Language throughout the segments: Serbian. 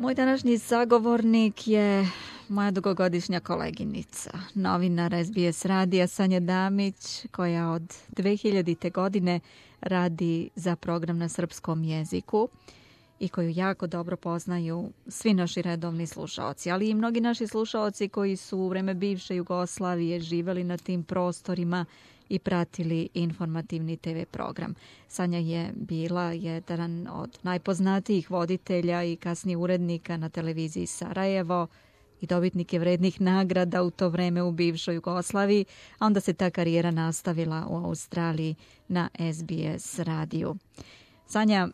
Moj današnji sagovornik je moja dugogodišnja koleginica, novinar SBS radija Sanja Damić, koja od 2000. godine radi za program na srpskom jeziku i koju jako dobro poznaju svi naši redovni slušaoci, ali i mnogi naši slušaoci koji su u vreme bivše Jugoslavije živeli na tim prostorima i pratili informativni TV program. Sanja je bila jedan od najpoznatijih voditelja i kasnije urednika na televiziji Sarajevo i dobitnik je vrednih nagrada u to vreme u bivšoj Jugoslaviji, a onda se ta karijera nastavila u Australiji na SBS radiju. Sanja,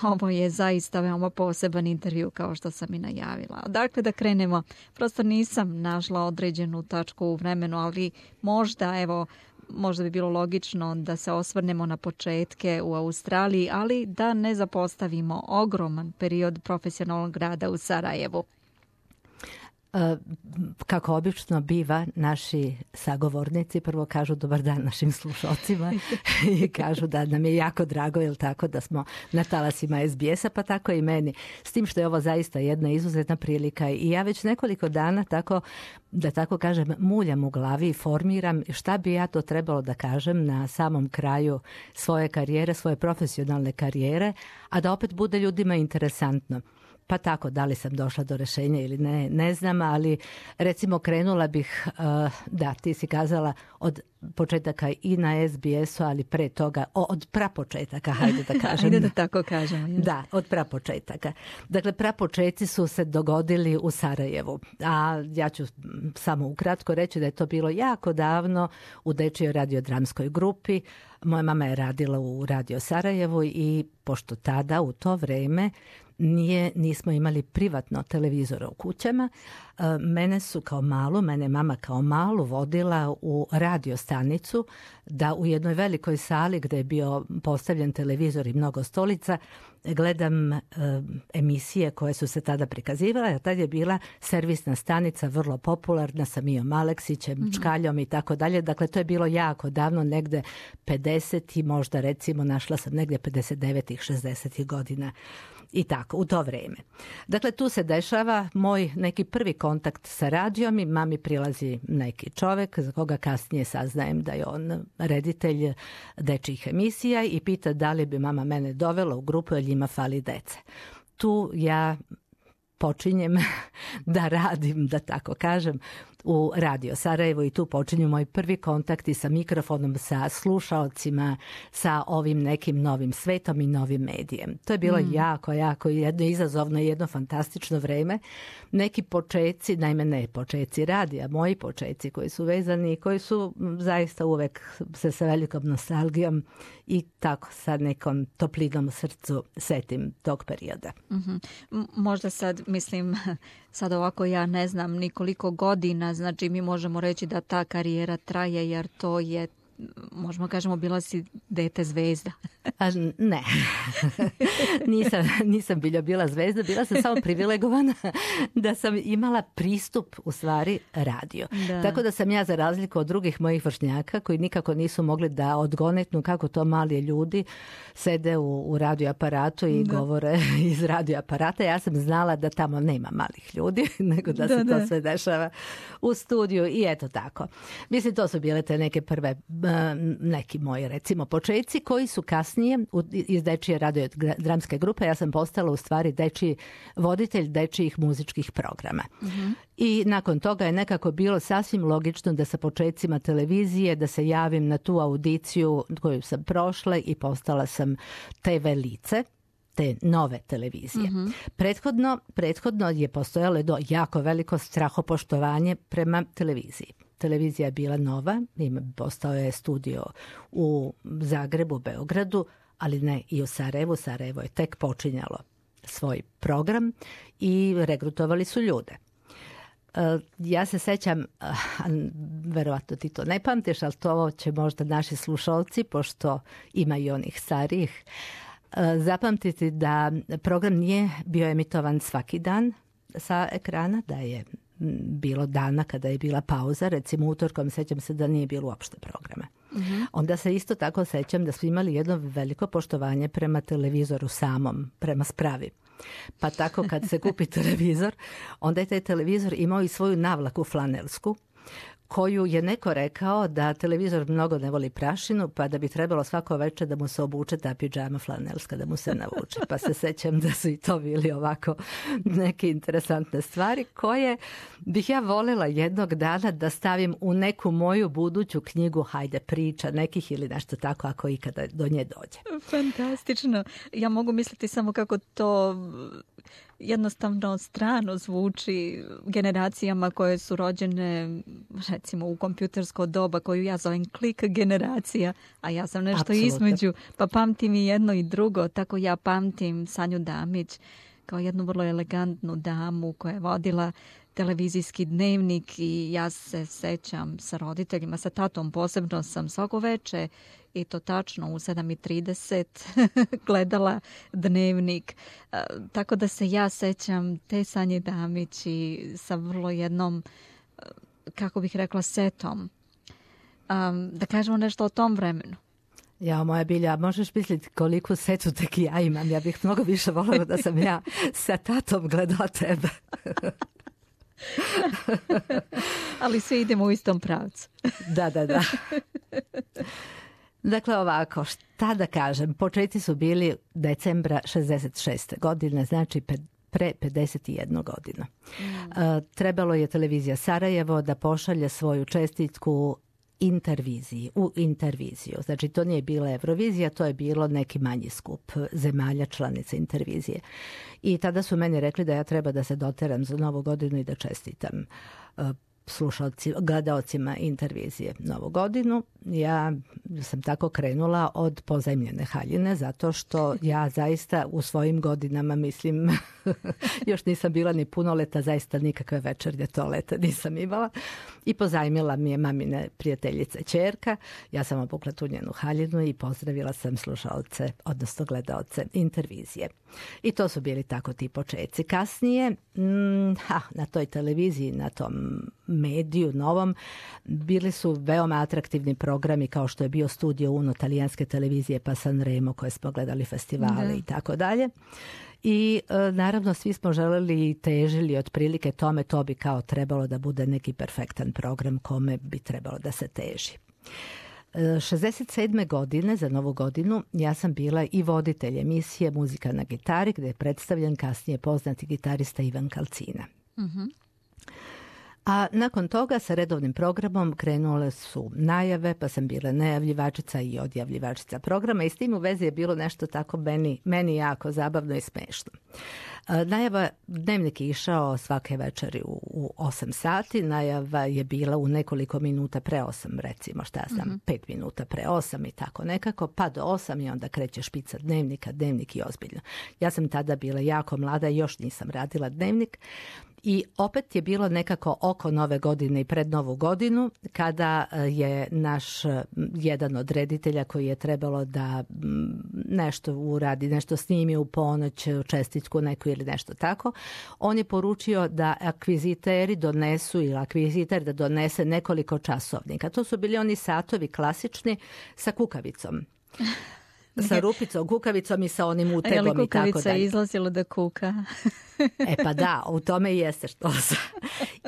ovo je zaista veoma poseban intervju, kao što sam i najavila. Dakle, da krenemo. Prosto nisam našla određenu tačku u vremenu, ali možda bi bilo logično da se osvrnemo na početke u Australiji, ali da ne zapostavimo ogroman period profesionalnog rada u Sarajevu. Kako obično biva, naši sagovornici prvo kažu dobar dan našim slušalcima i kažu da nam je jako drago, jel tako, da smo na talasima SBS-a, pa tako i meni. S tim što je ovo zaista jedna izuzetna prilika i ja već nekoliko dana, da tako kažem, muljam u glavi i formiram šta bi ja to trebalo da kažem na samom kraju svoje karijere, svoje profesionalne karijere, a da opet bude ljudima interesantno. Pa tako, da li sam došla do rješenja ili ne znam, ali recimo krenula bih, da, ti si kazala od početaka i na SBS-u, ali pre toga, od prapočetaka, hajde da kažem. Hajde da tako kažemo. Yes. Da, od prapočetaka. Dakle, prapočetci su se dogodili u Sarajevu, a ja ću samo ukratko reći da je to bilo jako davno u dečijoj radiodramskoj grupi. Moja mama je radila u Radio Sarajevu i pošto tada u to vreme nismo imali privatno televizora u kućama, mene mama kao malu vodila u radio stanicu da u jednoj velikoj sali gdje je bio postavljen televizor i mnogo stolica gledam emisije koje su se tada prikazivale, a tad je bila servisna stanica vrlo popularna sa Mijom Aleksićem, Čkaljom i tako dalje. Dakle, to je bilo jako davno, negde 50 i možda recimo našla sam negdje 59-ih, 60-ih godina. I tako, u to vrijeme. Dakle, tu se dešava moj neki prvi kontakt sa radijom i mami prilazi neki čovjek za koga kasnije saznajem da je on reditelj dečjih emisija i pita da li bi mama mene dovela u grupu jer njima fali dece. Tu ja počinjem da radim, da tako kažem, u Radio Sarajevo i tu počinju moji prvi kontakti sa mikrofonom, sa slušaocima, sa ovim nekim novim svetom i novim medijem. To je bilo jako jedno izazovno i jedno fantastično vreme. Neki počeci, naime ne počeci radija, moji počeci koji su vezani i koji su zaista uvek se sa velikom nostalgijom i tako sa nekom toplinom u srcu setim tog perioda. Možda sad ovako ja ne znam nikoliko godina, znači mi možemo reći da ta karijera traje jer to je, možemo kažemo, bila si dete zvezda. Ne, nisam bila zvezda, bila sam samo privilegovana da sam imala pristup u stvari radio. Da. Tako da sam ja, za razliku od drugih mojih vršnjaka koji nikako nisu mogli da odgonetnu kako to mali ljudi sede u radioaparatu i govore iz radioaparata, ja sam znala da tamo nema malih ljudi, nego da se to sve dešava u studiju i eto tako. Mislim, to su bile te neke prve neki moji recimo početci koji su kasnije iz dečije radiodramske grupe, ja sam postala u stvari dečiji voditelj dečijih muzičkih programa. I nakon toga je nekako bilo sasvim logično da sa početcima televizije da se javim na tu audiciju koju sam prošla i postala sam TV lice te nove televizije. Prethodno je postojalo jako veliko strahopoštovanje prema televiziji. Televizija je bila nova, postao je studio u Zagrebu, Beogradu, ali ne i u Sarajevu. Sarajevo je tek počinjalo svoj program i regrutovali su ljude. Ja se sećam, verovatno ti to ne pamtiš, ali to će možda naši slušalci, pošto ima i onih starijih, zapamtiti da program nije bio emitovan svaki dan sa ekrana, da je bilo dana kada je bila pauza, recimo utorkom sećam se da nije bilo uopšte programa. Onda se isto tako sećam da smo imali jedno veliko poštovanje prema televizoru samom, prema spravi. Pa tako kad se kupi televizor, onda je taj televizor imao i svoju navlaku flanelsku, koju je neko rekao da televizor mnogo ne voli prašinu, pa da bi trebalo svako večer da mu se obuče ta pidžama flanelska, da mu se navuče. Pa se sećam da su i to bili ovako neke interesantne stvari koje bih ja voljela jednog dana da stavim u neku moju buduću knjigu, hajde priča nekih ili nešto tako, ako ikada do nje dođe. Fantastično. Ja mogu misliti samo kako to jednostavno strano zvuči generacijama koje su rođene recimo u kompjutersko doba, koju ja zovem klik generacija, a ja sam nešto Apsolutno. između, pa pamtim i jedno i drugo. Tako ja pamtim Sanju Damić kao jednu vrlo elegantnu damu koja je vodila televizijski dnevnik i ja se sećam sa roditeljima, sa tatom posebno sam svako veče i to tačno u 7:30 gledala dnevnik. Tako da se ja sećam te Sanje Damić i sa vrlo jednom, kako bih rekla, setom. Da kažemo nešto o tom vremenu. Ja, moja Bilja, možeš misliti koliko setu tek ja imam. Ja bih mnogo više voljela da sam ja sa tatom gledala tebe. Ali svi idemo u istom pravcu. Da. Dakle, ovako, šta da kažem, početci su bili decembra 66. godine, znači pre 51 godinu. Trebalo je televizija Sarajevo da pošalje svoju čestitku u interviziju. Znači, to nije bila Eurovizija, to je bilo neki manji skup zemalja članice intervizije. I tada su meni rekli da ja treba da se doteram za Novu godinu i da čestitam gledaocima intervizije Novu godinu. Ja sam tako krenula od pozajmljene haljine, zato što ja zaista u svojim godinama, mislim, još nisam bila ni punoleta, zaista nikakve večernje toalete nisam imala. I pozajmila mi je mamine prijateljice ćerka. Ja sam obukla tu njenu haljinu i pozdravila sam slušalce, odnosno gledaoce intervizije. I to su bili tako ti početci. Kasnije, na toj televiziji, na tom mediju novom, bili su veoma atraktivni programi kao što je bio Studio Uno talijanske televizije, pa Sanremo koje smo gledali festivale i tako dalje. I naravno svi smo želeli i težili otprilike tome, to bi kao trebalo da bude neki perfektan program kome bi trebalo da se teži. 67. godine, za Novu godinu, ja sam bila i voditelj emisije Muzika na gitari, gdje je predstavljen kasnije poznati gitarista Ivan Kalcina. A nakon toga sa redovnim programom krenule su najave, pa sam bila najavljivačica i odjavljivačica programa i s tim u vezi je bilo nešto tako meni jako zabavno i smešno. Najava, dnevnik je išao svake večeri u 8 sati, najava je bila u nekoliko minuta pre 8, recimo, 5 minuta pre 8 i tako nekako, pa do 8 i onda kreće špica dnevnika, dnevnik i ozbiljno. Ja sam tada bila jako mlada i još nisam radila dnevnik. I opet je bilo nekako oko Nove godine i pred Novu godinu kada je naš jedan od reditelja koji je trebalo da nešto uradi, nešto snimi u ponoć, čestitku neku ili nešto tako, on je poručio da akviziteri donesu ili akviziter da donese nekoliko časovnika. To su bili oni satovi klasični sa kukavicom. Sa rupicom, kukavicom i sa onim utegom i tako dalje. Kukavica je izlazila da kuka. Pa da, u tome i jeste što sam.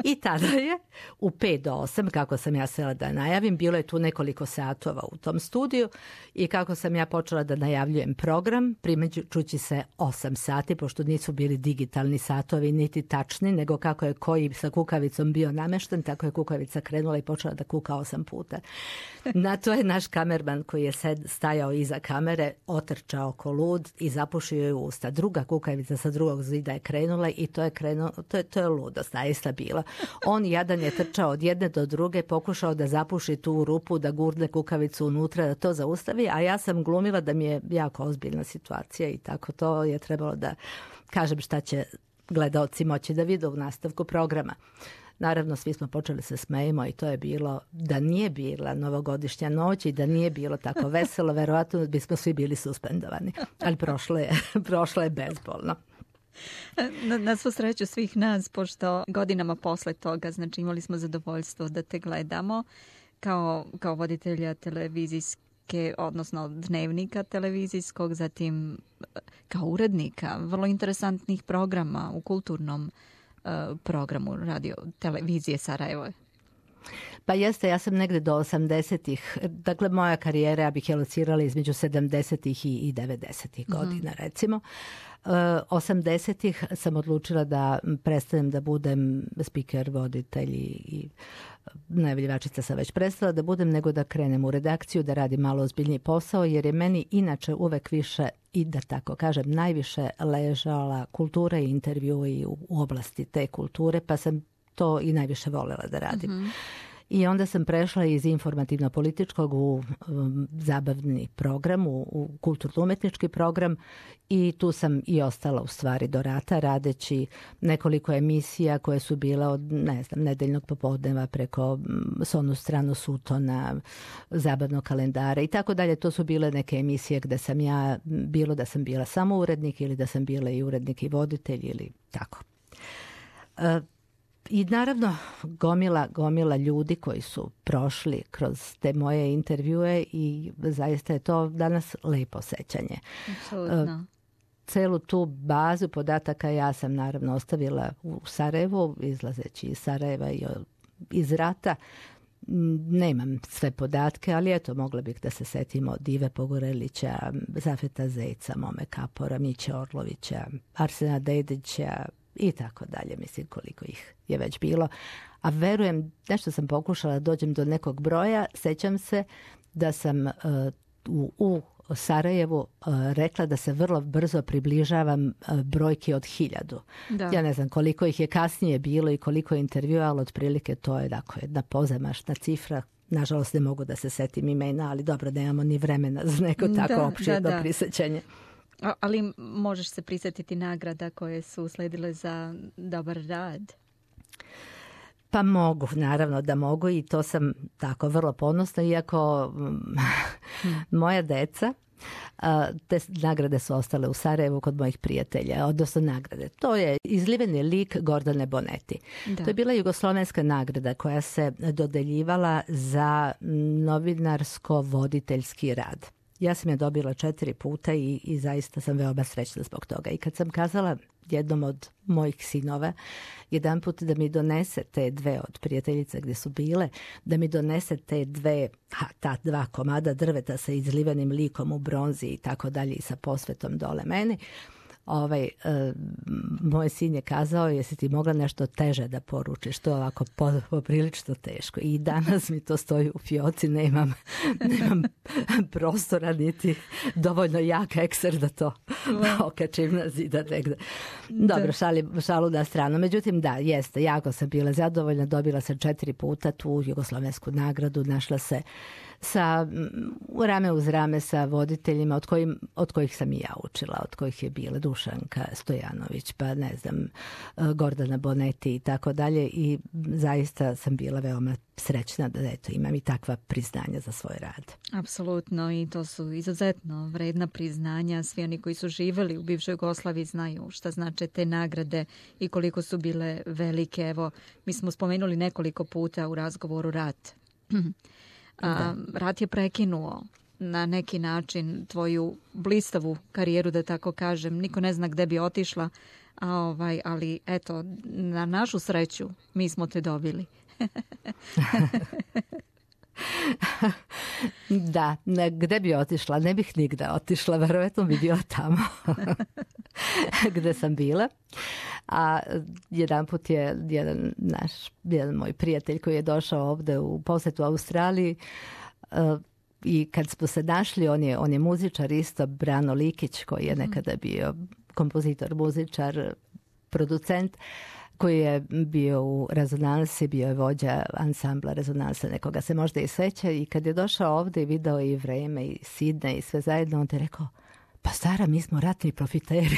I tada je u 5 do 8, kako sam ja sela da najavim, bilo je tu nekoliko satova u tom studiju i kako sam ja počela da najavljujem program, primeđući se 8 sati, pošto nisu bili digitalni satovi niti tačni, nego kako je koji sa kukavicom bio namešten, tako je kukavica krenula i počela da kuka 8 puta. Na to je naš kamerman koji je stajao iza kamere, otrčao oko lud i zapušio je usta. Druga kukavica sa drugog zida je krenula i to je ludost, zaista bila. On jadan je trčao od jedne do druge, pokušao da zapuši tu rupu, da gurne kukavicu unutra, da to zaustavi, a ja sam glumila da mi je jako ozbiljna situacija i tako to je trebalo da kažem šta će gledaoci moći da vide u nastavku programa. Naravno, svi smo počeli se smejemo i to je bilo, da nije bila novogodišnja noć i da nije bilo tako veselo, verovatno bismo svi bili suspendovani. Ali prošlo je bezbolno. Na svu sreću svih nas, pošto godinama posle toga, znači imali smo zadovoljstvo da te gledamo kao voditelja televizijske, odnosno dnevnika televizijskog, zatim kao urednika vrlo interesantnih programa u kulturnom programu radio televizije Sarajevo. Pa jeste, ja sam negde do 80-ih, dakle moja karijera, ja bih je locirala između 70-ih i 90-ih godina, recimo. 80-ih sam odlučila da prestanem da budem speaker, voditelj i najavljivačica sam već prestala da budem, nego da krenem u redakciju, da radim malo ozbiljniji posao, jer je meni inače uvek više, i da tako kažem, najviše ležala kultura i intervjui u oblasti te kulture, pa sam to i najviše voljela da radim. I onda sam prešla iz informativno-političkog u zabavni program, u kulturno-umetnički program, i tu sam i ostala u stvari do rata, radeći nekoliko emisija koje su bile od, nedeljnog popodneva preko Sonu stranu Sutona, zabavnog kalendara i tako dalje. To su bile neke emisije gde sam ja, bilo da sam bila samo urednik ili da sam bila i urednik i voditelj ili tako. I naravno gomila ljudi koji su prošli kroz te moje intervjue i zaista je to danas lepo sećanje. Apsolutno. Celu tu bazu podataka ja sam naravno ostavila u Sarajevu, izlazeći iz Sarajeva i iz rata. Nemam sve podatke, ali eto, mogla bih da se setimo Dive Pogorelića, Zafeta Zejca, Mome Kapora, Miće Orlovića, Arsena Dedića i tako dalje, mislim koliko ih je već bilo. A verujem, nešto sam pokušala da dođem do nekog broja, sećam se da sam u Sarajevu rekla da se vrlo brzo približavam brojki od 1000. Da. Ja ne znam koliko ih je kasnije bilo i koliko je intervjua, ali otprilike to je dakle jedna pozamašna cifra. Nažalost ne mogu da se setim imena, ali dobro, nemamo ni vremena za neko tako opširno prisećanje. Ali možeš se prisjetiti nagrada koje su usledile za dobar rad? Pa mogu, naravno da mogu, i to sam tako vrlo ponosna, iako moja deca, te nagrade su ostale u Sarajevu kod mojih prijatelja, odnosno nagrade. To je izliveni lik Gordane Boneti. Da. To je bila jugoslovenska nagrada koja se dodeljivala za novinarsko-voditeljski rad. Ja sam je dobila 4 puta i zaista sam veoma srećna zbog toga. I kad sam kazala jednom od mojih sinova jedan put da mi donese te 2 od prijateljica gdje su bile, da mi donese ta 2 komada drveta sa izlivenim likom u bronzi i tako dalje i sa posvetom dole meni, moj sin je kazao, jesi ti mogla nešto teže da poručiš, to ovako poprilično teško. I danas mi to stoji u fioci, nemam prostora niti dovoljno jak ekser da to okačim na zida negde. Dobro, šalu na stranu. Međutim, da, jeste, jako sam bila zadovoljna, dobila sam 4 puta tu jugoslovensku nagradu, našla se sa rame uz rame sa voditeljima od kojih sam i ja učila, od kojih je bila Dušanka Stojanović, pa ne znam, Gordana Boneti i tako dalje, i zaista sam bila veoma srećna da eto, imam i takva priznanja za svoj rad. Apsolutno, i to su izuzetno vredna priznanja. Svi oni koji su živjeli u bivšoj Jugoslaviji znaju šta znače te nagrade i koliko su bile velike. Evo, mi smo spomenuli nekoliko puta u razgovoru rat. Rat je prekinuo na neki način tvoju blistavu karijeru, da tako kažem. Niko ne zna gde bi otišla, ali eto, na našu sreću mi smo te dobili. Da, gde bi otišla? Ne bih nigde otišla, verovatno bi bila tamo gde sam bila. A jedan put je jedan moj prijatelj koji je došao ovde u posjetu Australiji, i kad smo se našli, on je muzičar isto, Brano Likić, koji je nekada bio kompozitor, muzičar, producent, koji je bio u Rezonansi, bio je vođa ansambla Rezonansa, nekoga se možda i seća, i kad je došao ovde i video i vreme i Sidne i sve zajedno, on te rekao, pa Sara, mi smo ratni profiteri.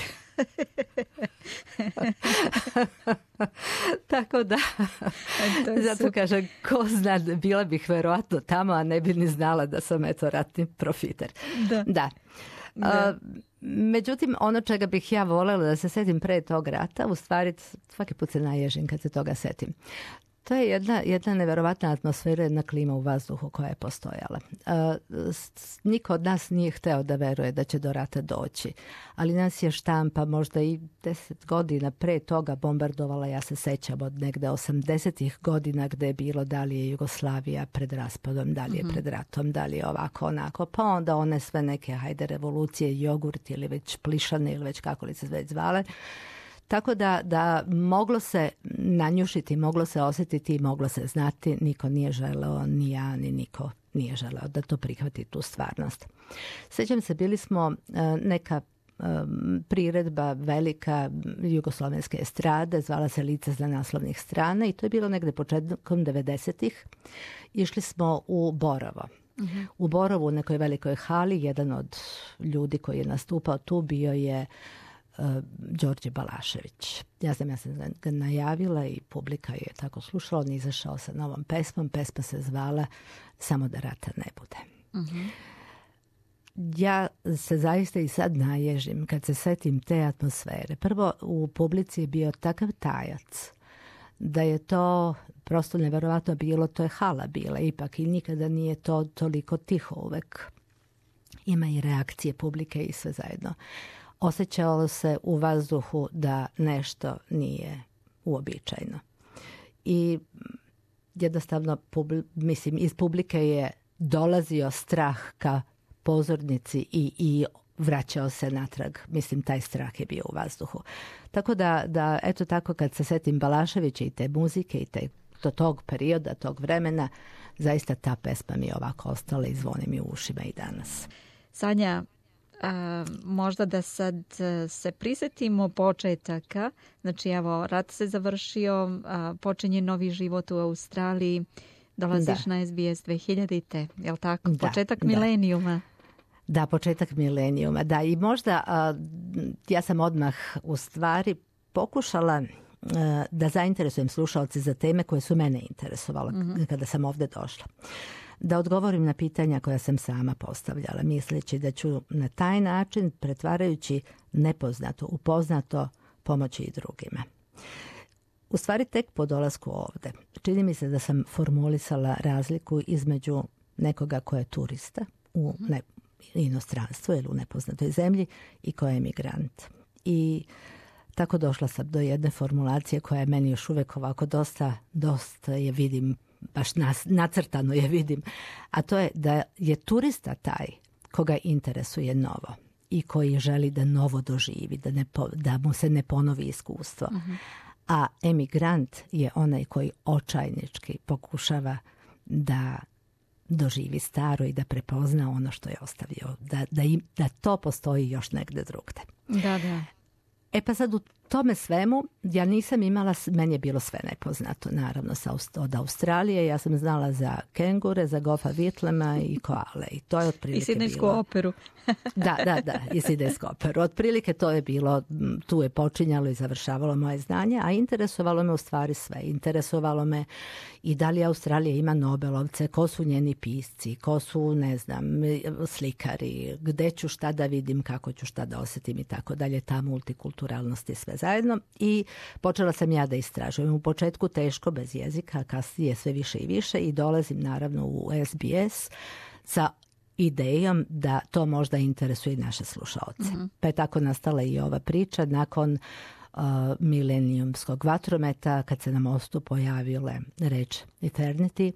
Tako da, zato kažem, ko zna, bila bih verovatno tamo, a ne bi ni znala da sam eto ratni profiter. Da. Međutim, ono čega bih ja voljela da se setim pre tog rata, u stvari svaki put se naježim kad se toga setim. To je jedna neverovatna atmosfera, jedna klima u vazduhu koja je postojala. Niko od nas nije hteo da veruje da će do rata doći, ali nas je štampa možda i 10 godina pre toga bombardovala, ja se sećam od negde 80-ih godina gde je bilo da li je Jugoslavija pred raspadom, da li je pred ratom, da li je ovako onako, pa onda one sve neke revolucije, jogurt ili već plišane ili već kako li se već zvale. Tako da moglo se nanjušiti, moglo se osjetiti i moglo se znati, niko nije želeo, ni ja, ni niko nije želeo da to prihvati tu stvarnost. Sjećam se, bili smo neka priredba velika jugoslovenske estrade, zvala se Lice sa naslovnih strana i to je bilo negde početkom 90-ih. Išli smo u Borovo. U Borovu, u nekoj velikoj hali, jedan od ljudi koji je nastupao tu bio je Đorđe Balašević. Ja sam ga najavila i publika je tako slušala. On je izašao sa novom pesmom. Pesma se zvala Samo da rata ne bude. Ja se zaista i sad naježim kad se setim te atmosfere. Prvo, u publici je bio takav tajac da je to prosto neverovatno bilo. To je hala bila ipak i nikada nije to toliko tiho uvek. Ima i reakcije publike i sve zajedno. Osjećalo se u vazduhu da nešto nije uobičajeno. I jednostavno, iz publike je dolazio strah ka pozornici i vraćao se natrag. Mislim, taj strah je bio u vazduhu. Tako da eto tako, kad se setim Balaševića i te muzike i tog perioda, tog vremena, zaista ta pesma mi je ovako ostala i zvoni mi u ušima i danas. Sanja, možda da sad se prisjetimo početaka. Znači, evo, rat se završio, počinje novi život u Australiji, dolaziš na SBS 2000-te, je li tako? Početak milenijuma. Da, početak milenijuma, da. I možda ja sam odmah u stvari pokušala da zainteresujem slušalce za teme koje su mene interesovale kada sam ovdje došla. Da odgovorim na pitanja koja sam sama postavljala, misleći da ću na taj način, pretvarajući nepoznato u poznato, pomoći i drugima. U stvari, tek po dolasku ovde, čini mi se da sam formulisala razliku između nekoga ko je turista u inostranstvu ili u nepoznatoj zemlji i ko je emigrant. I tako došla sam do jedne formulacije koja je meni još uvek ovako dosta je vidim, baš nacrtano je vidim, a to je da je turista taj koga interesuje novo i koji želi da novo doživi, da mu se ne ponovi iskustvo. A emigrant je onaj koji očajnički pokušava da doživi staro i da prepozna ono što je ostavio, da to postoji još negde drugde. Da. E pa sad u tome svemu ja nisam imala, meni je bilo sve nepoznato, naravno od Australije. Ja sam znala za kengure, za Goffa Whitlama i koale i to je otprilike i Sidnejsku operu. Da, i Sidnejsku operu. Otprilike to je bilo, tu je počinjalo i završavalo moje znanje, a interesovalo me u stvari sve. Interesovalo me i da li Australija ima Nobelovce, ko su njeni pisci, ko su, ne znam, slikari, gde ću šta da vidim, kako ću šta da osjetim i tako dalje, ta multikulturalnost i sve zajedno. I počela sam ja da istražujem. U početku teško, bez jezika, kasnije sve više i više i dolazim naravno u SBS sa idejom da to možda interesuje i naše slušaoce. Pa je tako nastala i ova priča nakon milenijumskog vatrometa, kad se na mostu pojavile reč Eternity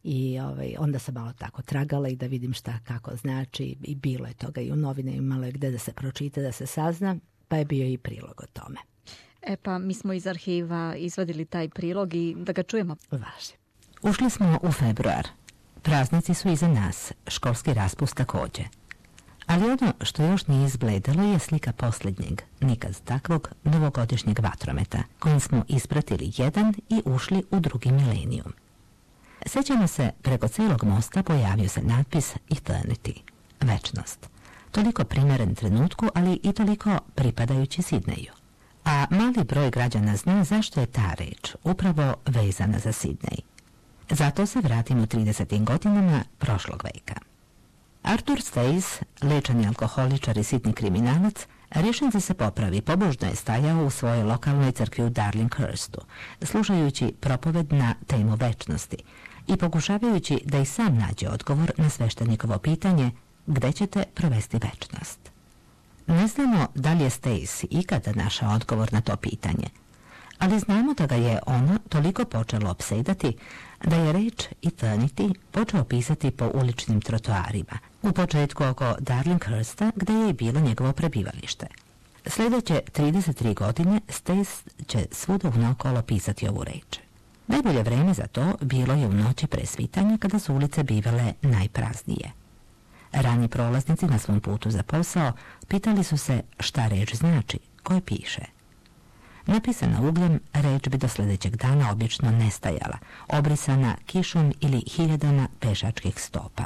i onda sam malo tako tragala i da vidim šta kako znači i bilo je toga i u novine, imalo je gde da se pročita, da se sazna, pa je bio i prilog o tome. E pa mi smo iz arhiva izvadili taj prilog i da ga čujemo. Važi. Ušli smo u februar. Praznici su iza nas, školski raspust takođe. Ali ono što još nije izbledalo je slika posljednjeg, nikad takvog, novogodišnjeg vatrometa, kojim smo ispratili jedan i ušli u drugi milenijum. Sećamo se, preko celog mosta pojavio se natpis Eternity, večnost. Toliko primeren trenutku, ali i toliko pripadajući Sidneju. A mali broj građana zna zašto je ta reč upravo vezana za Sidnej. Zato se vratimo 30. godinama prošlog veka. Arthur Stace, lečani alkoholičar i sitni kriminalac, Rješen da se popravi, pobožno je stajao u svojoj lokalnoj crkvi u Darlinghurstu, slušajući propoved na temu večnosti i pokušavajući da i sam nađe odgovor na sveštenikovo pitanje gde ćete provesti večnost. Ne znamo da li je Stace ikada našao odgovor na to pitanje, ali znamo da ga je ono toliko počelo opsedati da je reč eternity počeo pisati po uličnim trotoarima, u početku oko Darlinghursta gde je i bilo njegovo prebivalište. Sljedeće 33 godine Stace će svuda unaokolo pisati ovu reč. Najbolje vreme za to bilo je u noći pre svitanja kada su ulice bivale najpraznije. Rani prolaznici na svom putu za posao pitali su se šta reč znači, koje piše. Napisana ugljem, reč bi do sljedećeg dana obično nestajala, obrisana kišom ili hiljadama pešačkih stopa.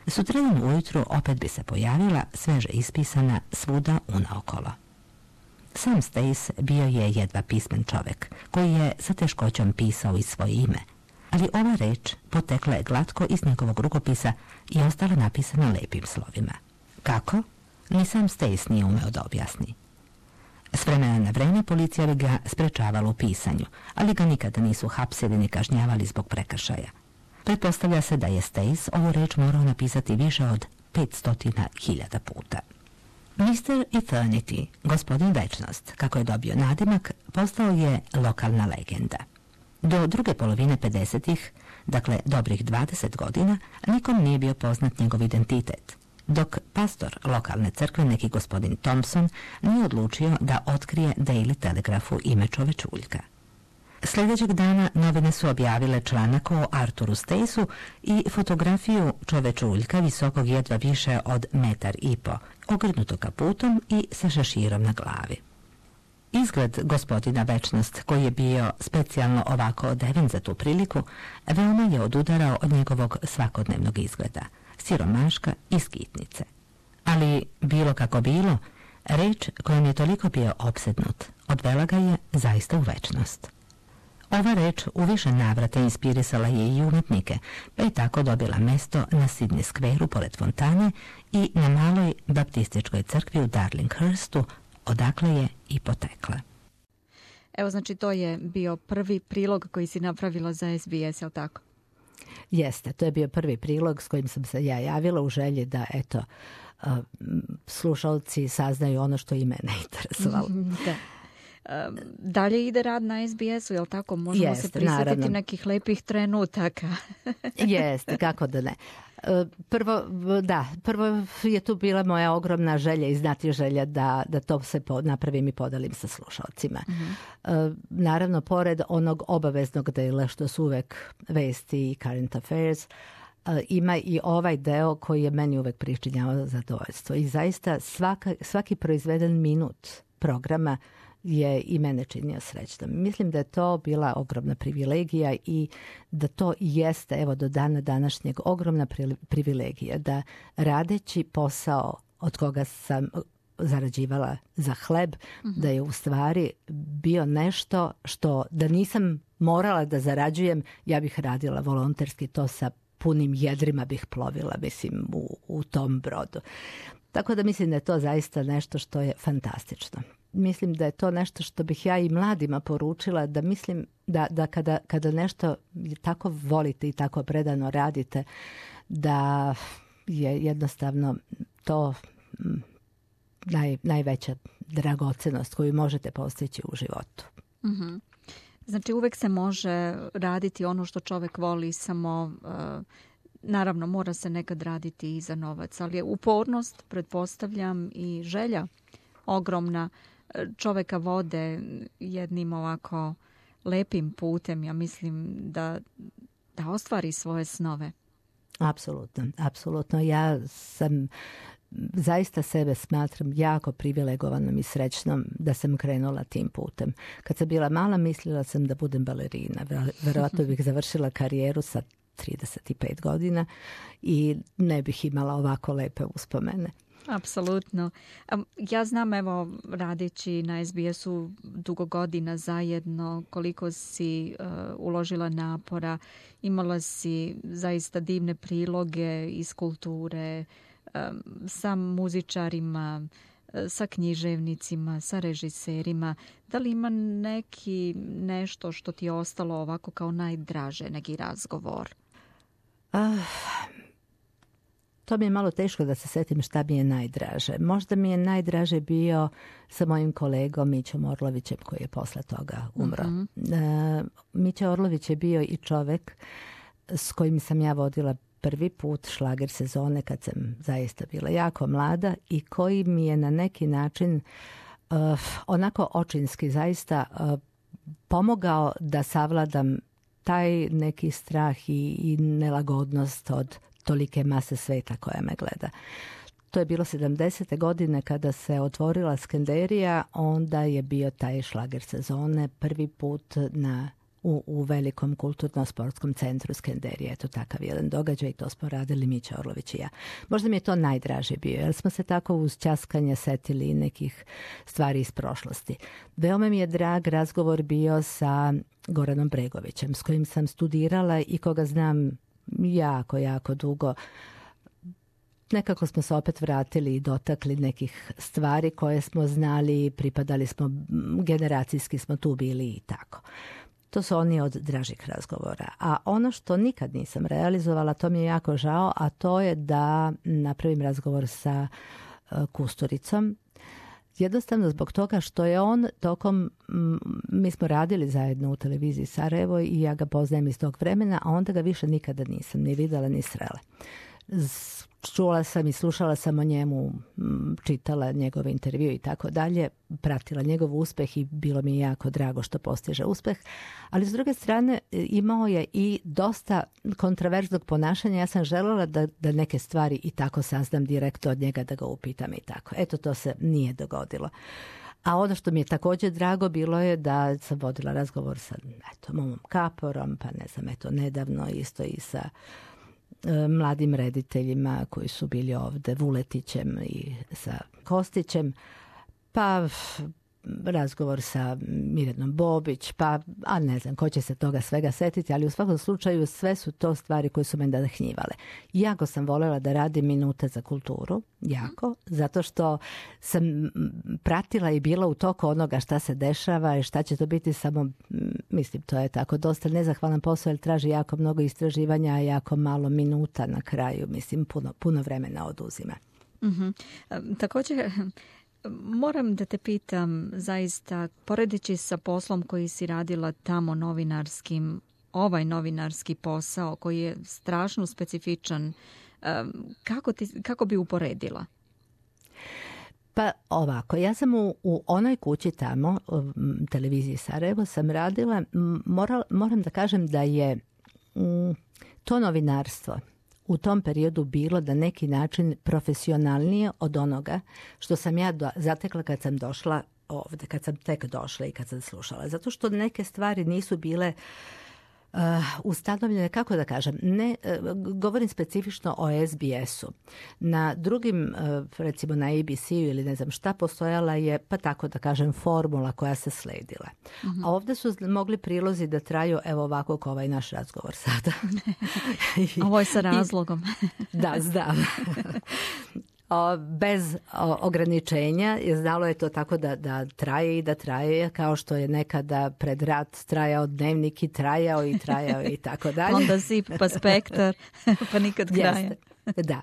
Sutradan ujutru opet bi se pojavila, sveže ispisana, svuda unaokolo. Sam Stace bio je jedva pismen čovek, koji je sa teškoćom pisao i svoje ime, ali ova reč potekla je glatko iz njegovog rukopisa i ostala napisana lepim slovima. Kako? Ni sam Stace nije umeo da objasni. S vremena na vreme policija bi ga sprečavala u pisanju, ali ga nikada nisu hapsili ni kažnjavali zbog prekršaja. Pretpostavlja se da je Stace ovu reč morao napisati više od 500.000 puta. Mr. Eternity, gospodin Večnost, kako je dobio nadimak, postao je lokalna legenda. Do druge polovine 50-ih, dakle dobrih 20 godina, nikom nije bio poznat njegov identitet, dok pastor lokalne crkve, neki gospodin Thompson, nije odlučio da otkrije Daily Telegraphu ime čovečuljka. Sljedećeg dana novine su objavile članak o Arturu Staceu i fotografiju čovečuljka visokog jedva više od 1,5 m, ogrnuto kaputom i sa šeširom na glavi. Izgled gospodina Večnost, koji je bio specijalno ovako odeven za tu priliku, veoma je odudarao od njegovog svakodnevnog izgleda, siromaška i skitnice. Ali, bilo kako bilo, reč kojom je toliko bio opsednut, odvela ga je zaista u večnost. Ova reč u više navrata inspirisala je i umetnike, pa je tako dobila mesto na Sydney Square-u pored fontane i na maloj baptističkoj crkvi u Darlinghurstu, odakle je i potekla. Evo, znači to je bio prvi prilog koji si napravila za SBS, je li tako? Jeste, to je bio prvi prilog s kojim sam se ja javila u želji da, eto, slušalci saznaju ono što i mene interesovalo. Da. Dalje ide rad na SBS-u, je li tako? Možemo se prisjetiti nekih lepih trenutaka. Jeste, kako da ne. Prvo je tu bila moja ogromna želja i znati želja da to se napravim i podelim sa slušalcima. Naravno, pored onog obaveznog dela što su uvek vesti i current affairs, ima i ovaj deo koji je meni uvek pričinjavao zadovoljstvo. I zaista svaki proizveden minut programa je i mene činio srećnom. Mislim da je to bila ogromna privilegija i da to jeste, evo, do dana današnjeg ogromna privilegija, da radeći posao od koga sam zarađivala za hleb, da je u stvari bio nešto što da nisam morala da zarađujem, ja bih radila volonterski, to sa punim jedrima bih plovila, mislim, u tom brodu. Tako da mislim da je to zaista nešto što je fantastično. Mislim da je to nešto što bih ja i mladima poručila, da mislim da kada nešto tako volite i tako predano radite, da je jednostavno to najveća dragocenost koju možete postići u životu. Mm-hmm. Znači uvek se može raditi ono što čovjek voli, samo naravno mora se nekad raditi i za novac, ali je upornost, pretpostavljam, i želja ogromna čovjeka vode jednim ovako lepim putem, ja mislim, da ostvari svoje snove. Apsolutno. Ja sam zaista sebe smatram jako privilegovanom i srećnom da sam krenula tim putem. Kad sam bila mala, mislila sam da budem balerina. Verovatno bih završila karijeru sa 35 godina i ne bih imala ovako lepe uspomene. Apsolutno. Ja znam, evo, radeći na SBS-u dugo godina zajedno, koliko si uložila napora, imala si zaista divne priloge iz kulture, sa muzičarima, sa književnicima, sa režiserima. Da li ima nešto što ti je ostalo ovako kao najdraže, neki razgovor? To mi je malo teško da se setim šta mi je najdraže. Možda mi je najdraže bio sa mojim kolegom Mićom Orlovićem koji je posle toga umro. Mića Orlović je bio i čovek s kojim sam ja vodila prvi put šlager sezone kad sam zaista bila jako mlada i koji mi je na neki način onako očinski zaista pomogao da savladam taj neki strah i nelagodnost od tolike mase sveta koja me gleda. To je bilo 70. godine kada se otvorila Skenderija, onda je bio taj šlager sezone prvi put u velikom kulturno-sportskom centru Skenderije. Eto takav jedan događaj i to smo radili Mića Orlović i ja. Možda mi je to najdraže bio, jer smo se tako uz ćaskanje setili nekih stvari iz prošlosti. Veoma mi je drag razgovor bio sa Goranom Bregovićem, s kojim sam studirala i koga znam jako, jako dugo. Nekako smo se opet vratili i dotakli nekih stvari koje smo znali, pripadali smo, generacijski smo tu bili i tako. To su oni od dražih razgovora. A ono što nikad nisam realizovala, to mi je jako žao, a to je da napravim razgovor sa Kusturicom. Jednostavno zbog toga što je on tokom, mi smo radili zajedno u televiziji Sarajevo i ja ga poznajem iz tog vremena, a onda ga više nikada nisam ni videla ni srela. Čula sam i slušala sam o njemu, čitala njegov intervju i tako dalje, pratila njegov uspeh i bilo mi jako drago što postiže uspeh, ali s druge strane imao je i dosta kontraverznog ponašanja. Ja sam željela da neke stvari i tako saznam direktno od njega, da ga upitam i tako. Eto, to se nije dogodilo. A ono što mi je također drago bilo je da sam vodila razgovor sa Momom Kaporom, pa ne znam, nedavno isto i sa mladim rediteljima koji su bili ovde, Vuletićem i sa Kostićem, pa razgovor sa Mirjanom Bobić, pa ne znam ko će se toga svega setiti, ali u svakom slučaju sve su to stvari koje su me nadahnjivale. Jako sam voljela da radim Minute za kulturu, jako, zato što sam pratila i bila u toku onoga šta se dešava i šta će to biti, samo mislim to je tako dosta nezahvalan posao jer traži jako mnogo istraživanja, a jako malo minuta na kraju, mislim puno vremena oduzima. Također moram da te pitam, zaista, poredeći sa poslom koji si radila tamo novinarskim, ovaj novinarski posao koji je strašno specifičan, kako bi uporedila? Pa ovako, ja sam u onoj kući tamo, televiziji Sarajevo, sam radila, moram da kažem da je to novinarstvo u tom periodu bilo na neki način profesionalnije od onoga što sam ja zatekla kad sam došla ovde, kad sam tek došla i kad sam slušala. Zato što neke stvari nisu bile ustanovljene, kako da kažem, ne, govorim specifično o SBS-u. Na drugim, recimo na ABC-u ili ne znam šta, postojala je, pa tako da kažem, formula koja se sledila. A ovdje su mogli prilozi da traju, evo ovako kao ovaj naš razgovor sada. Ovo je sa razlogom. Da, znam. Bez ograničenja, znalo je to tako da traje i da traje, kao što je nekada pred rat trajao dnevnik i trajao i tako dalje. Onda Zip pa Spektar, pa nikad kraja. Jeste. Da.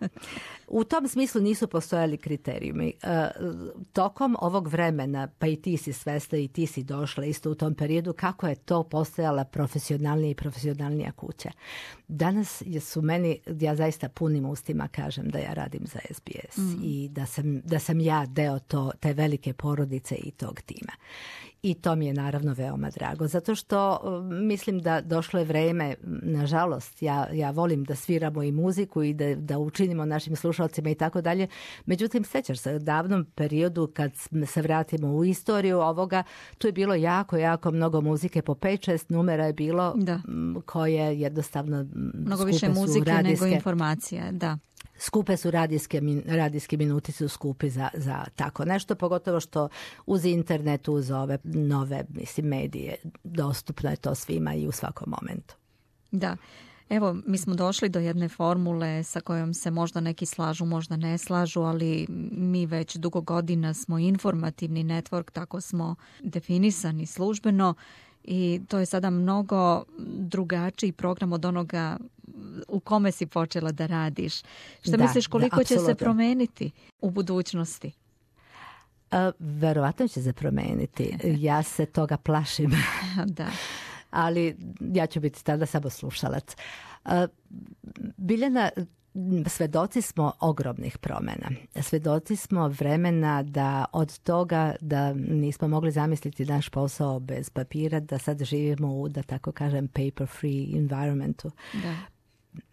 U tom smislu nisu postojali kriterijumi. Tokom ovog vremena, pa i ti si svesna i ti si došla isto u tom periodu, kako je to postojala profesionalnija i profesionalnija kuća. Danas su meni, ja zaista punim ustima kažem da ja radim za SBS i da sam ja deo te velike porodice i tog tima. I to mi je naravno veoma drago, zato što mislim da došlo je vreme, nažalost, ja volim da sviramo i muziku i da učinimo našim slušalcima i tako dalje. Međutim, sećaš se u davnom periodu kad se vratimo u istoriju ovoga, tu je bilo jako, jako mnogo muzike, po 5-6 numera je bilo koje jednostavno mnogo više muzike nego informacija, da. Skupe su radijski minuti su skupi za tako nešto, pogotovo što uz internet, uz ove nove medije dostupno je to svima i u svakom momentu. Da. Evo, mi smo došli do jedne formule sa kojom se možda neki slažu, možda ne slažu, ali mi već dugo godina smo informativni network, tako smo definisani službeno i to je sada mnogo drugačiji program od onoga u kome si počela da radiš. Šta misliš koliko će se promeniti u budućnosti? Verovatno će se promeniti. Ja se toga plašim. Da. Ali ja ću biti tada samo slušalac. Biljana, svedoci smo ogromnih promjena. Svedoci smo vremena da od toga da nismo mogli zamisliti naš posao bez papira, da sad živimo u, da tako kažem, paper free environmentu. Da.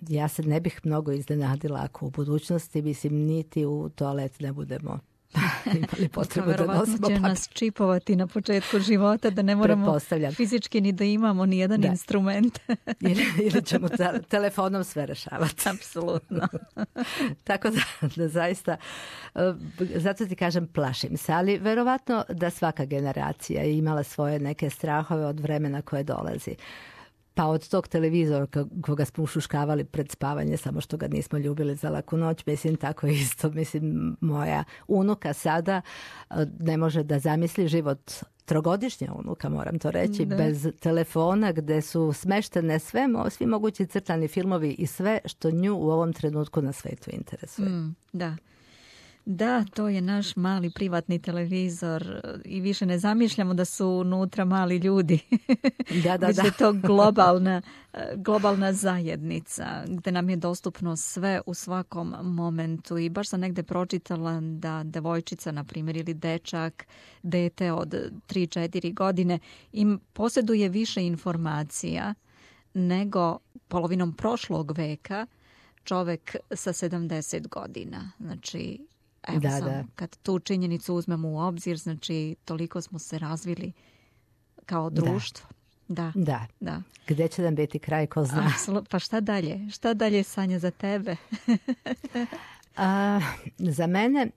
Ja se ne bih mnogo iznenadila ako u budućnosti, mislim, niti u toalet ne budemo imali potrebu da nosimo papir. Će nas čipovati na početku života da ne moramo fizički ni da imamo ni jedan instrument. ili ćemo telefonom sve rešavati. Apsolutno. Tako da zaista, zato ti kažem, plašim se, ali verovatno da svaka generacija je imala svoje neke strahove od vremena koje dolazi. Pa od tog televizora koga smo ušuškavali pred spavanje, samo što ga nismo ljubili za laku noć, mislim, tako isto. Mislim, moja unuka sada ne može da zamisli život, trogodišnja unuka, moram to reći, bez telefona gde su smeštene svi mogući crtani filmovi i sve što nju u ovom trenutku na svetu interesuje. Da, to je naš mali privatni televizor i više ne zamišljamo da su unutra mali ljudi. Da. Je to globalna zajednica gdje nam je dostupno sve u svakom momentu i baš sam negdje pročitala da devojčica, na primjer, ili dečak, dete od 3-4 godine im posjeduje više informacija nego polovinom prošlog veka čovjek sa 70 godina. Znači, kad tu činjenicu uzmemo u obzir, znači toliko smo se razvili kao društvo. Da. Gdje će nam biti kraj, ko zna? Pa šta dalje? Šta dalje, Sanja, za tebe? Za mene,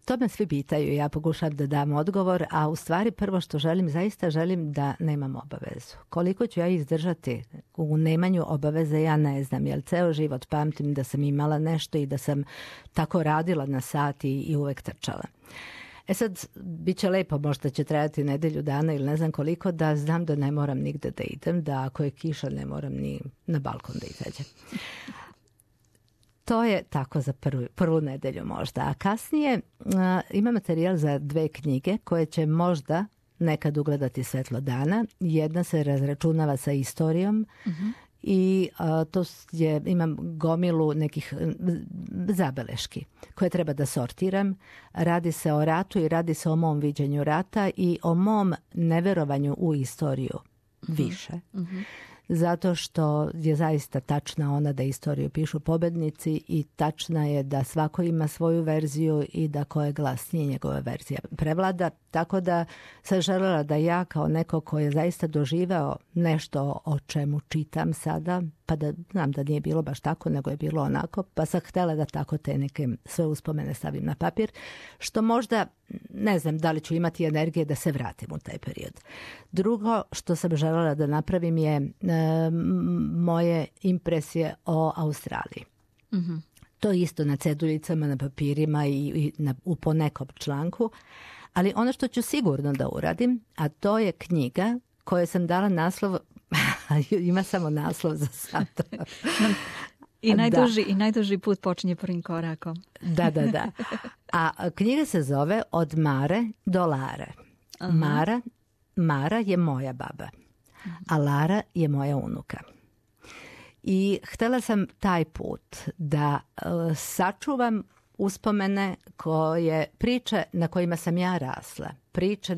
to me svi pitaju, ja pokušam da dam odgovor, a u stvari prvo što želim, zaista želim da nemam obavezu. Koliko ću ja izdržati u nemanju obaveze, ja ne znam, jer ceo život pamtim da sam imala nešto i da sam tako radila na sat i uvek trčala. Sad, bit će lepo, možda će trajati nedelju dana ili ne znam koliko, da znam da ne moram nigde da idem, da ako je kiša ne moram ni na balkon da izađem. To je tako za prvu nedelju možda. A kasnije ima materijal za 2 knjige koje će možda nekad ugledati svetlo dana. Jedna se razračunava sa istorijom i imam gomilu nekih zabeleški koje treba da sortiram. Radi se o ratu i radi se o mom viđenju rata i o mom neverovanju u istoriju više. Zato što je zaista tačna ona da istoriju pišu pobednici i tačna je da svako ima svoju verziju i da ko je glasnije njegova verzija prevlada. Tako da sam želela da ja kao neko ko je zaista doživeo nešto o čemu čitam sada, pa da znam da nije bilo baš tako, nego je bilo onako, pa sam htjela da tako te neke sve uspomene stavim na papir, što možda ne znam da li ću imati energije da se vratim u taj period. Drugo što sam želela da napravim je moje impresije o Australiji. To isto na ceduljicama, na papirima i u ponekom članku. Ali ono što ću sigurno da uradim, a to je knjiga koju sam dala naslov, ima samo naslov za sad. I najduži put počinje prvim korakom. Da. A knjiga se zove Od Mare do Lare. Mara je moja baba, a Lara je moja unuka. I htjela sam taj put da sačuvam uspomene priče na kojima sam ja rasla, priče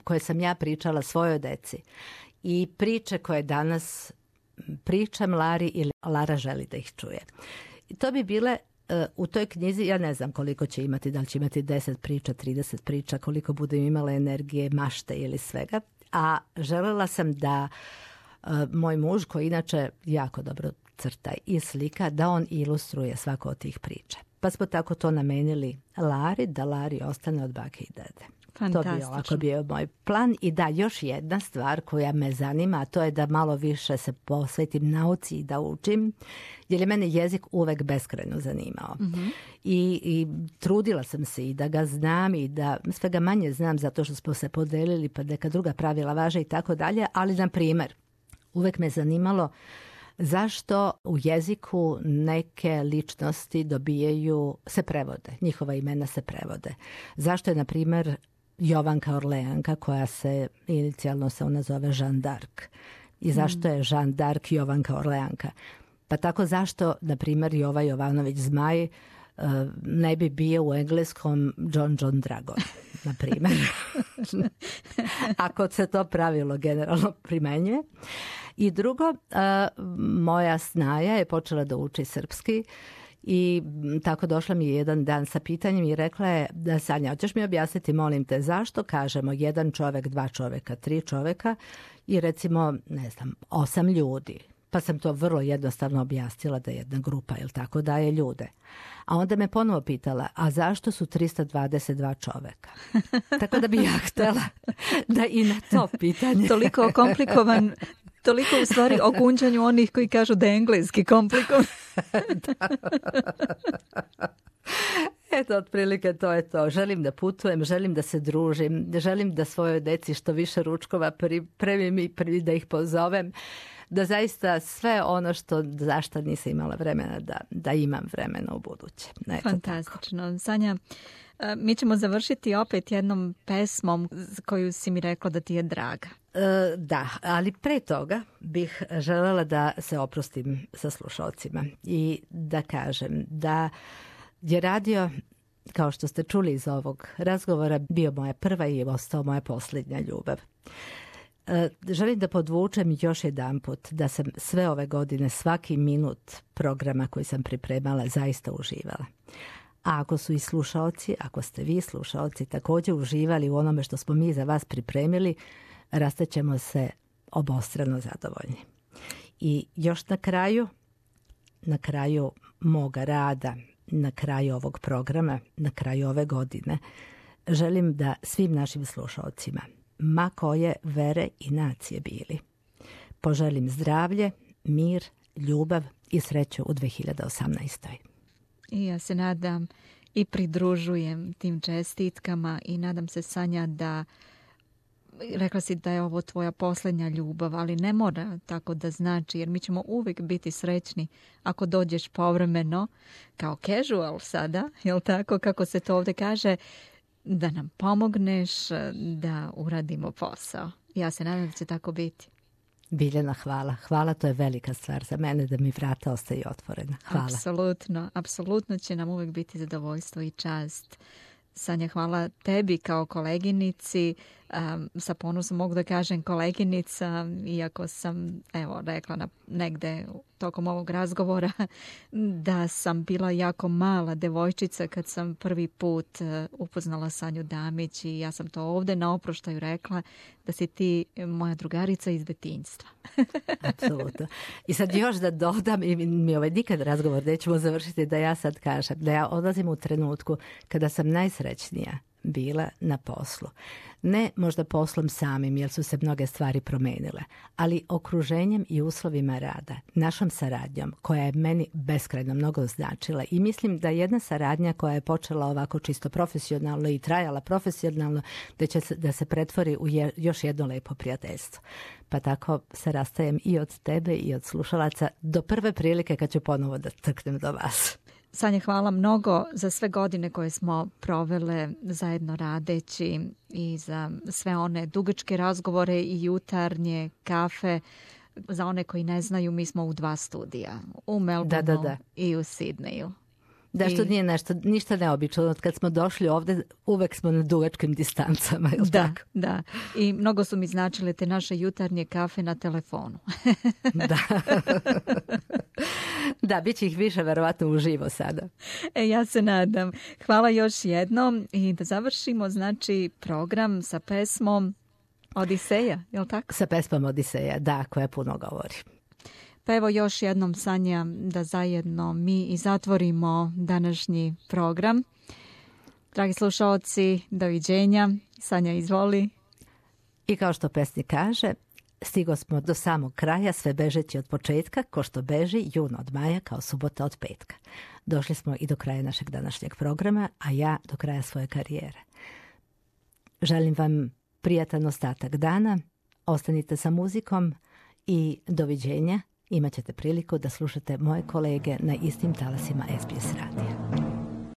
koje sam ja pričala svojoj deci i priče koje danas pričam Lari ili Lara želi da ih čuje. I to bi bile u toj knjizi, ja ne znam koliko će imati, da li će imati 10 priča, 30 priča, koliko budem imala energije, mašte ili svega, a želela sam da moj muž, koji inače jako dobro crta i slika, da on ilustruje svako od tih priča. Pa smo tako to namenili Lari, da Lari ostane od bake i dede. To bi ovako bio moj plan. I da, još jedna stvar koja me zanima, a to je da malo više se posvetim nauci i da učim, jer je mene jezik uvek beskrajno zanimao. I trudila sam se i da ga znam i da sve ga manje znam zato što smo se podelili pa neka druga pravila važe i tako dalje, ali na primjer, uvek me zanimalo zašto u jeziku neke ličnosti se prevode, njihova imena se prevode. Zašto je, na primjer, Jovanka Orleanka, koja se inicijalno se ona zove Jeanne d'Arc. I zašto je Jeanne d'Arc Jovanka Orleanka? Pa tako zašto, na primjer, Jova Jovanović Zmaj ne bi bio u engleskom John Dragon, na primjer. Ako se to pravilo generalno primenjuje. I drugo, moja snaja je počela da uči srpski i tako došla mi jedan dan sa pitanjem i rekla je da Sanja, hoćeš mi objasniti, molim te, zašto kažemo jedan čovek, dva čoveka, tri čoveka i recimo, 8 ljudi. Pa sam to vrlo jednostavno objasnila da je jedna grupa, jel tako, daje ljude. A onda me ponovo pitala, a zašto su 322 čoveka? Tako da bi ja htjela da i na to pitanje... Toliko komplikovan, toliko u stvari o gunđanju onih koji kažu da je engleski komplikovan. Eto, otprilike to je to. Želim da putujem, želim da se družim, želim da svojoj deci što više ručkova pripremim i da ih pozovem. Da zaista sve ono zašto nisam imala vremena da imam vremena u buduće. Fantastično. Tako. Sanja, mi ćemo završiti opet jednom pesmom koju si mi rekla da ti je draga. Da, ali pre toga bih želela da se oprostim sa slušalcima i da kažem da je radio, kao što ste čuli iz ovog razgovora, bio moja prva i ostao moja posljednja ljubav. Želim da podvučem još jedanput da sam sve ove godine svaki minut programa koji sam pripremala zaista uživala. A ako su i slušaoci, ako ste vi slušaoci također uživali u onome što smo mi za vas pripremili, rastaćemo se obostrano zadovoljni. I još na kraju moga rada, na kraju ovog programa, na kraju ove godine, želim da svim našim slušaocima, ma koje vere i nacije bili, poželim zdravlje, mir, ljubav i sreću u 2018. I ja se nadam i pridružujem tim čestitkama i nadam se, Sanja, da rekla si da je ovo tvoja posljednja ljubav, ali ne mora tako da znači, jer mi ćemo uvijek biti srećni ako dođeš povremeno, kao casual sada, jel tako, kako se to ovdje kaže, da nam pomogneš da uradimo posao. Ja se nadam da će tako biti. Biljana, hvala. Hvala, to je velika stvar za mene da mi vrata ostaju otvorena. Hvala. Apsolutno će nam uvijek biti zadovoljstvo i čast. Sanja, hvala tebi kao koleginici. Sa ponosom mogu da kažem koleginica, iako sam rekla negde tokom ovog razgovora da sam bila jako mala devojčica kad sam prvi put upoznala Sanju Damić i ja sam to ovdje na oproštaju rekla da si ti moja drugarica iz detinjstva. Apsolutno. I sad još da dodam, i mi nikad razgovor nećemo završiti, da ja sad kažem da ja odlazim u trenutku kada sam najsrećnija bila na poslu. Ne možda poslom samim, jer su se mnoge stvari promenile, ali okruženjem i uslovima rada, našom saradnjom, koja je meni beskrajno mnogo značila. I mislim da jedna saradnja koja je počela ovako čisto profesionalno i trajala profesionalno, da se pretvori u još jedno lepo prijateljstvo. Pa tako se rastajem i od tebe i od slušalaca do prve prilike kad ću ponovo da trknem do vas. Sanja, hvala mnogo za sve godine koje smo provele zajedno radeći i za sve one dugačke razgovore i jutarnje kafe. Za one koji ne znaju, mi smo u 2 studija, u Melbourneu i u Sidneju. Da, što nije ništa neobično. Od kad smo došli ovdje, uvek smo na dugačkim distancama. Tako? Da. I mnogo su mi značile te naše jutarnje kafe na telefonu. Da. Da, bit će ih više verovatno uživo sada. Ja se nadam. Hvala još jednom i da završimo program sa pesmom Odiseja, je li tako? Sa pesmom Odiseja, da, koja puno govori. Pa evo još jednom, Sanja, da zajedno mi i zatvorimo današnji program. Dragi slušalci, doviđenja. Sanja, izvoli. I kao što pesnik kaže, stigo smo do samog kraja, sve bežeći od početka, ko što beži jun od maja, kao subota od petka. Došli smo i do kraja našeg današnjeg programa, a ja do kraja svoje karijere. Želim vam prijatan ostatak dana, ostanite sa muzikom i doviđenja. Imaćete priliku da slušate moje kolege na istim talasima SBS radija.